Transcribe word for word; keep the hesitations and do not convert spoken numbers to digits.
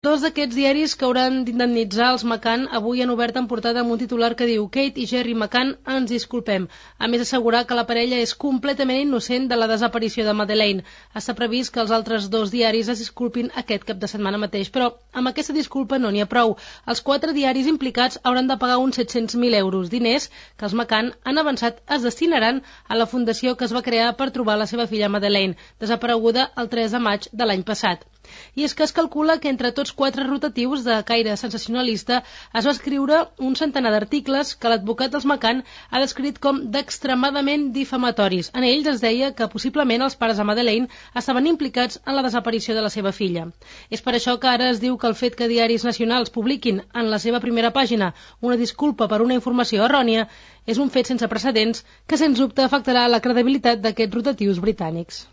Dos d'aquests diaris que hauran d'indemnitzar els McCann avui han obert en portada amb un titular que diu Kate i Jerry McCann ens disculpem. A més, assegurar que la parella és completament innocent de la desaparició de Madeleine. Està previst que els altres dos diaris es disculpin aquest cap de setmana mateix, però amb aquesta disculpa no n'hi ha prou. Els quatre diaris implicats hauran de pagar uns set-cents mil euros, diners que els McCann han avançat es destinaran a la fundació que es va crear per trobar la seva filla Madeleine, desapareguda el tres de maig de l'any passat. I és que es calcula que entre tots quatre rotatius de caire sensacionalista es va escriure un centenar d'articles que l'advocat dels McCann ha descrit com d'extremadament difamatoris. En ells es deia que possiblement els pares de Madeleine estaven implicats en la desaparició de la seva filla. És per això que ara es diu que el fet que diaris nacionals publiquin en la seva primera pàgina una disculpa per una informació errònia és un fet sense precedents que sens dubte afectarà la credibilitat d'aquests rotatius britànics.